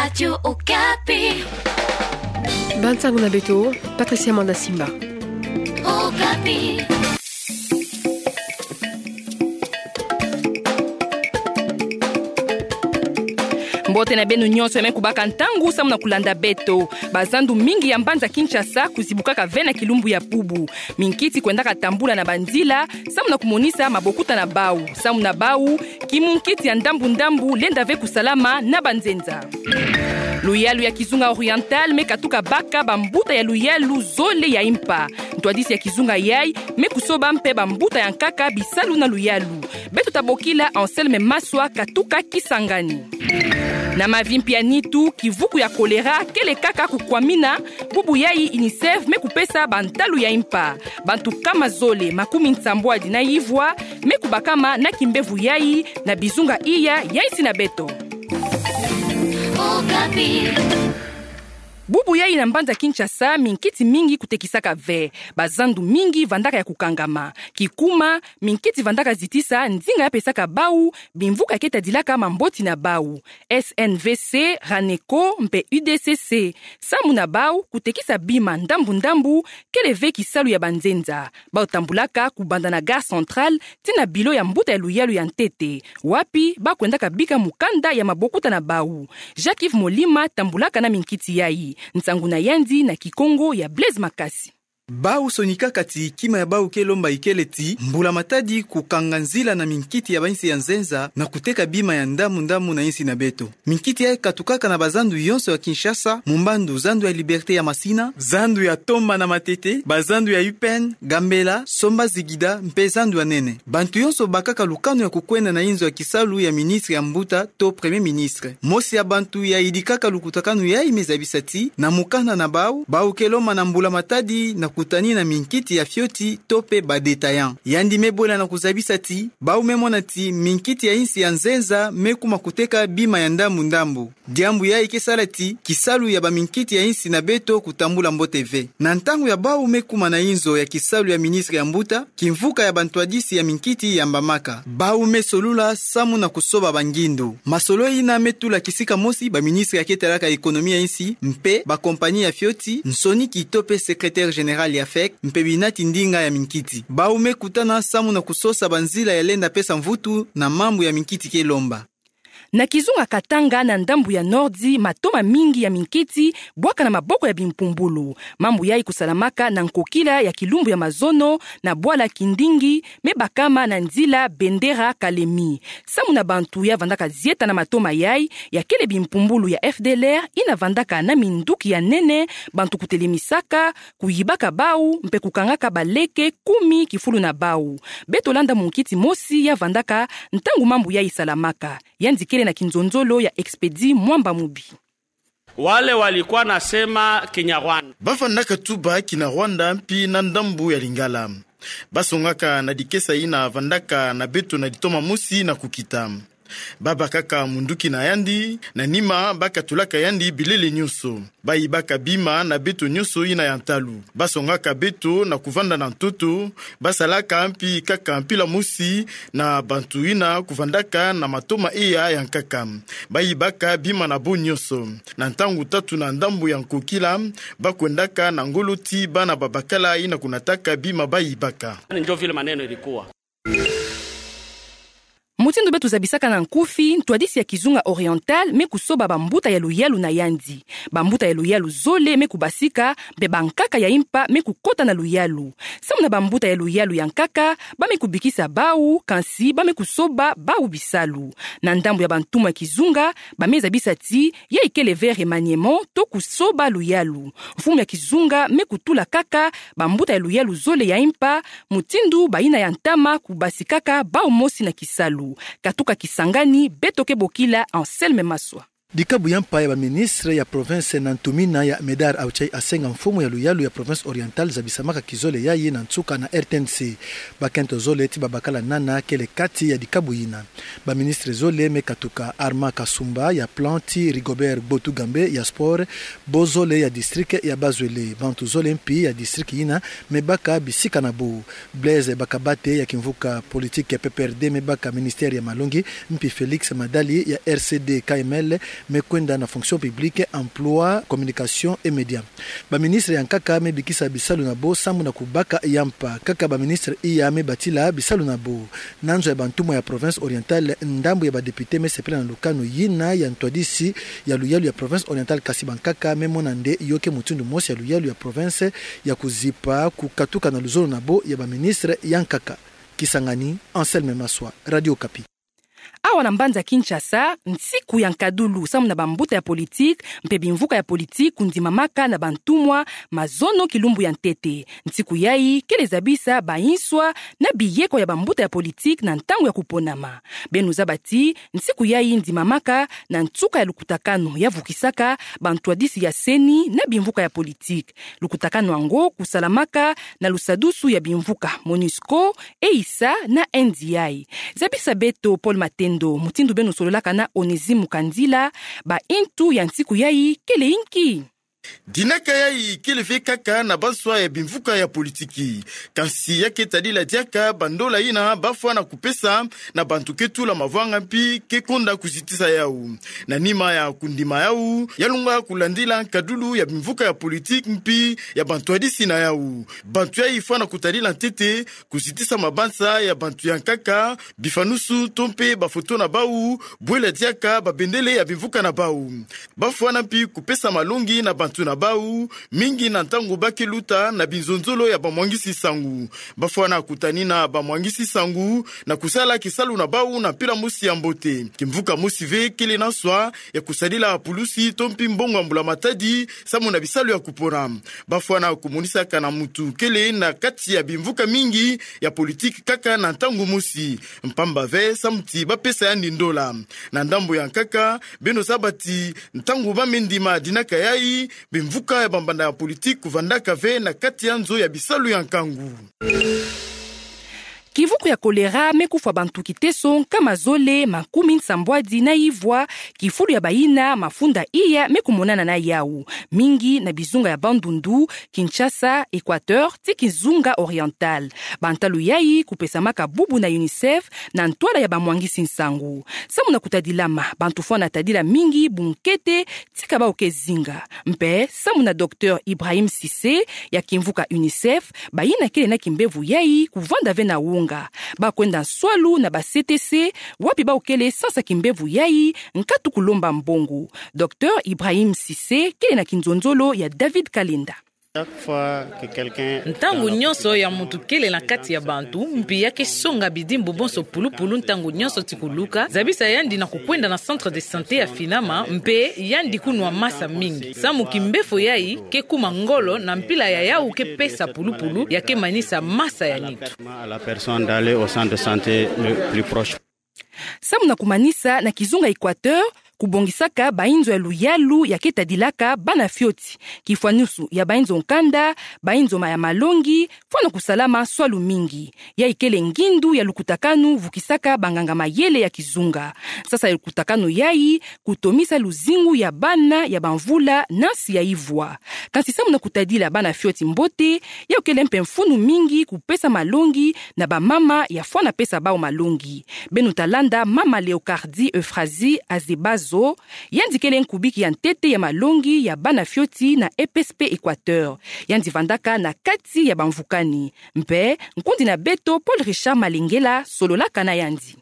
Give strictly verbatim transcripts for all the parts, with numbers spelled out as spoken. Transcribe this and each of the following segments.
Radio Okapi. Bansango na beto, Patricia Manda Simba. Okapi. Mbote na beno nyonso ya me kubaka ntangu samu na kulanda beto. Bazandu mingi ya mbanza Kinshasa kuzibukaka ve na kilumbu ya bubu. Minkiti kwendaka tambula na banzila, samu na kumonisa mabokuta na bau. Samu na bau, kimunkiti ya ndambu-ndambu lenda ve kusalama na banzenza. Luyalu ya kizunga oriental me katuka baka bambuta ya luyalu zole ya impa. Ntwadisi ya kizunga yai me kusoba mpe bambuta ya nkaka bisalu na luyalu. Beto ta bokila Anselme Maswa katuka Kisangani. Na mavi mpe ya nitu, kivuku ya kolera kele kaka kukwamina, bubu yai UNICEF me kupesa bantalu ya impa. Bantu nkama zole makumi nsambwadi na ivwa me kubakama na kimbevo yai na bizunga iya ya insi na beto. Okapi. Bubu yai na mbanza Kinshasa, minkiti mingi kutekisaka ve. Bazandu mingi vandaka ya kukangama. Kikuma, minkiti vandaka zitisa ndinga ya pesaka bau bimvuka ya ke tadilaka mamboti na bau. S N V C, Raneco mpe U D C C. Samu na bau, kutekisa bima ndambu-ndambu kele ve kisalu ya banzenza. Bau tambulaka kubanda na gare centrale tii na bilo ya mbuta ya luyalu ya ntete, wapi bau kwendaka bika mukanda ya mabokuta na bau. Jacques Yves Molima tambulaka na minkiti yai. Nsangu na yandi na Kikongo ya Blaise Makasi. Bau sonikaka ti kima ya bau ke lomba ikele ti mbula-matadi kukanga nzila na minkiti ya bainsi ya nzenza na kuteka bima ya ndambu-ndambu na insi na beto. Minkiti yai katukaka na bazandu yonso ya Kinshasa, mu mbandu zandu ya Liberté ya Masina, zandu ya Tomba na Matete, bazandu ya U P N, Gambela, Somba, Zigida mpe zandu ya nene. Bantu yonso bakaka lukanu ya kukwenda na inzo ya kisalu ya ministre ya mbuta to Premier Ministre. Mosi ya bantu yayidikaka lukutakanu yai me zabisa ti, na mukanda na bau, bau ke lomba na mbula-matadi na kutani na minkiti ya fioti to mpe ba détaillants. Yandi me bwela na kuzabisa ti, bau me mona ti minkiti ya insi ya nzenza me kuma kuteka bima ya ndambu-ndambu. Diambu yai ke sala ti kisalu ya baminkiti ya insi na beto kutambula mbote ve. Na ntangu ya bau me kuma na inzo ya kisalu ya ministre ya mbuta, kimvuka ya bantwadisi ya minkiti yambamaka. Bau me solula samu na kusoba bangindu. Masolo yina me tula kisika mosi baministre ya ke talaka économie ya insi, mpe bakompani ya fioti, nsoniki to mpe secrétaire général ya FEC, mpe binati ndinga ya minkiti. Bau me kutana samu na kusosa banzila ya lenda pesa mvutu na mambu ya minkiti ke lomba. Na kizunga Katanga na ndambu ya nordi, matoma mingi ya minkiti bwaka na maboko ya bimpumbulu. Mambu yai kusalamaka na nkokila ya kilumbu ya mazono na bwala Kindingi, me bakama na nzila Bendera Kalemi. Samu na bantu ya vandaka zieta na matoma yai, ya kele bimpumbulu ya F D L R yina vandaka na minduki ya nene, bantu kutelemisaka, kuyibaka bau, mpe kukangaka baleke kumi kifulu na bau. Beto landa munkiti mosi ya vandaka ntangu mambu yai salamaka. Yandi kele na kinzonzolo ya Expedit Mwamba Mubi. Wale walikuwa nasema Kinyarwanda. Ba vandaka tuba Kinyarwanda mpi na ndambu ya Lingala. Ba songaka na dikesa yina vandaka na beto na litoma mosi na kukita. Ba bakaka munduki na yandi, na nima ba katulaka yandi bilele nyonso. Ba yibaka bima na beto nyonso yina ya ntalu. Ba songaka beto na kuvanda na ntoto, ba salaka mpi kaka mpila mosi na bantu yina kuvandaka na matoma eya ya nkaka. Ba yibaka bima na bo nyonso. Na ntangu tatu na ndambu ya nkokila, ba kwendaka na ngolo ti bana babakala yina kunataka bima ba yibaka. Njo vile maneno ilikuwa. Mutindu beto zabisaka na nkufi, ntwadisi ya kizunga Oriental me kusoba bambuta ya luyalu na yandi. Bambuta ya luyalu zole me kubasika, mpe bankaka ya impa me kukota na luyalu. Samu na bambuta ya luyalu ya nkaka, ba me kubikisa bau, kansi ba me kusoba bau bisalu. Na ndambu ya bantumwa ya kizunga, ba me zabisa ti, yai kele ve remaniement to kusoba luyalu. Mfumu ya kizunga me kutula kaka bambuta ya luyalu zole ya impa, mutindu bayina ya ntama kubasikaka bau mosi na kisalu. Katuka Kisangani, beto ke bokila Anselme Maswa. Dikabu ya mpa ya baministre ya province na ntumina ya Medard Auchai Asenga, mfumu ya luyalu ya province Oriental, zabisamaka kizole yai na nsuka na R T N C. Bakento zole ti babakala nana kele kati ya dikabu yina. Baministre zole me katuka: Armand Kasumba ya Plan, ti Rigobert Gbotugambe ya Sport, bo zole ya district ya Bas-Uele. Bantu zole mpi ya district yina me baka bisika na bo. Blaise Bakabate ya kimvuka politique ya P P R D me baka ministère ya malongi, mpi Félix Madali ya R C D K M L me kwenda na fonction publique, emploi, communication et médias. Baministre ya nkaka me bikisa bisalu na bo samu na kubaka ya mpa, kaka baministre iya me batila bisalu na bo. Na nzo ya bantumwa ya Province Orientale, ndambu ya badepute me sepela na lukanu yina ya ntwadisi ya luyalu ya Province Orientale, kasi bankaka me mona nde yo ke mutindu mosi ya luyalu ya province ya kuzipa kukatuka na luzolo na bo ya baministre ya nkaka. Kisangani, Anselme Maswa, Radio Okapi. Awa na mbanza Kinshasa, nsiku ya nkadulu samu na bambuta ya politique mpe bimvuka ya politique kundimamaka na bantumwa mazono kilumbu ya ntete. Nsiku yayi kele zabisa banswa na biyeko ya bambuta ya politique na ntangu ya kuponama. Beno zaba ti nsiku yayi ndimamaka na nsuka ya lukutakanu ya vukisaka bantwadisi ya CENI na bimvuka ya politique. Lukutakanu yango kusalamaka na lusadusu ya bimvuka MONUSCO, EISA na NDI. Zabisa beto Paul Matendo mutindu beno sololaka na Onésime Kandila, baintu ya nsiku yayi kele inki? Dinaka yayi kele ve kaka na banswa ya bimvuka ya politique. Kansi ya ke tadila diaka bandola yina bafwana kupesa na bantu ke tula mavwanga mpi ke konda kuzitisa yawu. Na nima ya kundima yawu, ya longa kulandila nkadulu ya bimvuka ya politique mpi ya bantwadisi na yawu. Bantu yayi fwana kutadila ntete kuzitisa mabanza ya bantu ya nkaka, bifanusu to mpe bafoto na bawu, bwela diaka babendele ya bimvuka na bawu. Bafwana mpi kupesa malongi na bantu na bawu, mingi na ntangu ba ke luta na binzonzolo ya bamwangisi nsangu. Bafwana kutanina bamwangisi-nsangu na kusala kisalu na bawu na mpila mosi ya mbote. Kimvuka mosi ve kele na nswa ya kusadila pulusi to mpi mbongo ya mbula-matadi samu na bisalu ya kupona. Bafwana kumonisaka na mutu kele na kati ya bimvuka mingi ya politique kaka na ntangu mosi, mpamba ve samu ti bapesa yandi ndola. Na ndambu ya nkaka, beno zaba ti ntangu ba me ndima dinaka yayi, bimvuka ya bambanda ya politique kuvandaka ve na kati ya nzo ya bisalu ya nkangu. Kivuku ya choléra me kufwa bantu kiteso nkama zole makumi nsambwadi na ivwa, kifulu ya bayina mafunda iya me kumonana na yawu, mingi na bizunga ya Bandundu, Kinshasa, Équateur, ti kizunga Oriental. Bantalu yayi kupesamaka bubu na UNICEF na ntwala ya bamwangisi-nsangu. Samu na kutadilama, bantu fwana tadila mingi bunkete tika bawu ke zinga. Mpe, samu na Docteur Ibrahim Cissé ya kimvuka UNICEF, bayina kele na kimbevo yayi kuvanda ve na wonga. Ba kwenda nswalu na ba CTC, wapi bawu kele sansa kimbevo yayi, nkatu kulomba mbongo. Docteur Ibrahim Cissé kele na kinzonzolo ya David Kalenda. Ntangu nyonso ya mutu kele na kati ya bantu, mpi ya ke songa bidimbu bonso pulupulu ntangu nyonso ti kuluka, zabisa yandi na kukwenda na centre de santé ya finama, mpe yandi kunwa masa mingi. Samu kimbefo yayi ke kuma ngolo na mpila ya yawu ke pesa pulupulu, ya ke manisa masa ya nitu. Samu na kumanisa, na kizunga Équateur, kubongisaka bainzo ya luyalu ya ke tadilaka bana fioti, kifwanusu ya bainzo nkanda, bainzo ma ya malongi, fwana kusalama swalu mingi. Yayi kele ngindu ya lukutakanu vukisaka banganga-mayele ya kizunga. Sansa ya lukutakanu yayi kutomisa luzingu ya bana ya bamvula na nsi ya ivwa. Kansi samu na kutadila bana fioti mbote, yawu kele mpe mfunu mingi kupesa malongi na bamama ya fwana pesa bawu malongi. Beno ta landa mama Léocardie Euphrasie Azebazo, yandi kele nkubiki ya ntete ya malongi ya bana fioti na EPSP Équateur. Yandi vandaka na kati ya bamvukani. Mpe, nkundi na beto Paul Richard Malengela sololaka na yandi.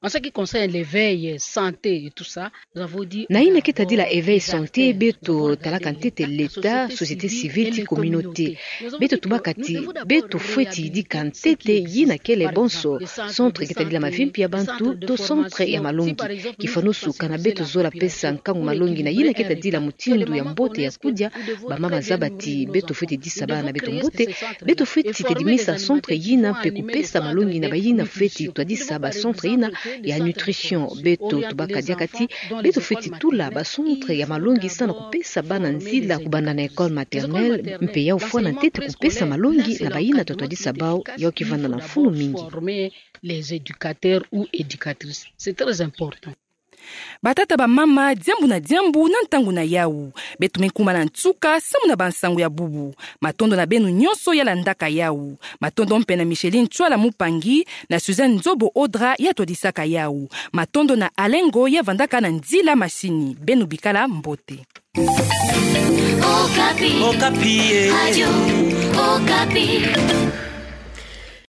En ce qui concerne l'éveil, santé et tout ça, nous avons dit, na yina ke tadila éveil santé, beto talaka ntete l'État, société civile ti communauté. Beto tubaka ti beto fweti yidika ntete yina kele bonso centre ke tadila mavimpi ya bantu to centre ya malongi. Kifwanusu kana beto zola pesa nkangu malongi na yina ke tadila mutindu ya mbote ya kudia, bamama zaba ti beto fweti disa bana na beto mbote, beto fweti tedimisa centre yina mpe kupesa malongi na bayina fweti twadisa ba centre yina ya nutrition. Beto tubaka diaka ti beto fweti tula ba centre ya malongi sa na kupesa bana nzila kubanda na école maternelle, mpe yawu fwana ntete kupesa malongi na bayina twa twadisa bawu, yawu ke vanda na mfunu mingi. Les éducateurs ou éducatrices, c'est très important. Batata, bamama, diambu na diambu na ntangu na yawu. Beto me kuma na nsuka samu na bansangu ya bubu. Matondo na beno nyonso ya landaka yawu. Matondo mpe na Micheline Tswala Mupangi, na Suzanne Nzobo Odra ya twadisaka yawu. Matondo na Alengo ya vandaka na nzila masini. Beno bikala mbote. Okapi. Okapi, eh. Radio Okapi.